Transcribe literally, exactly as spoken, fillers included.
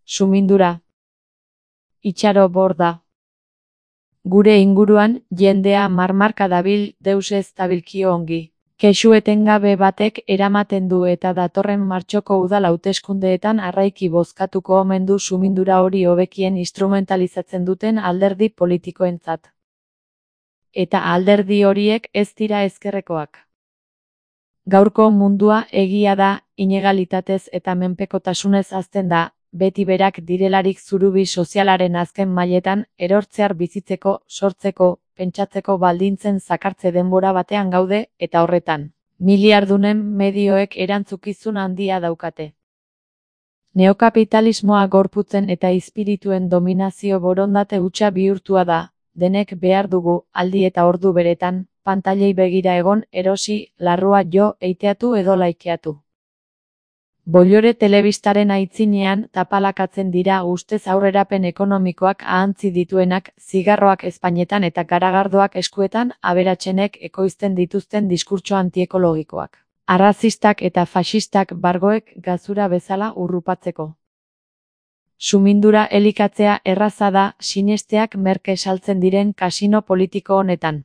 Sumindura. Itxaro borda. Gure inguruan, jendea marmarka dabil deus ez dabilkio ongi. Kexu etengabe batek eramaten du eta datorren martxoko udal hauteskundeetan arraiki bozkatuko omen du sumindura hori hobekien instrumentalizatzen duten alderdi politikoentzat. Eta alderdi horiek ez dira ezkerrekoak. Gaurko mundua egia da, inegalitatez eta menpekotasunez hazten da, beti berak direlarik zurubi sozialaren azken mailetan, erortzear bizitzeko, sortzeko, pentsatzeko baldintzen zakartze denbora batean gaude, eta horretan, miliardunen medioek erantzukizun handia daukate. Neokapitalismoa gorputzen eta izpirituen dominazio borondate hutsa bihurtua da, denek behar dugu, aldi eta ordu beretan, pantailei begira egon, erosi, larrua jo, eiteatu edo laikeatu. Bollore telebistaren aitzinean tapalakatzen dira ustez aurrerapen ekonomikoak ahantzi dituenak, zigarroak ezpainetan eta garagardoak eskuetan, aberatsenek ekoizten dituzten diskurtso antiekologikoak. Arrazistak eta faxistak bargoek gazura bezala urrupatzeko. Sumindura elikatzea erraza da, sinesteak merke saltzen diren kasino politiko honetan.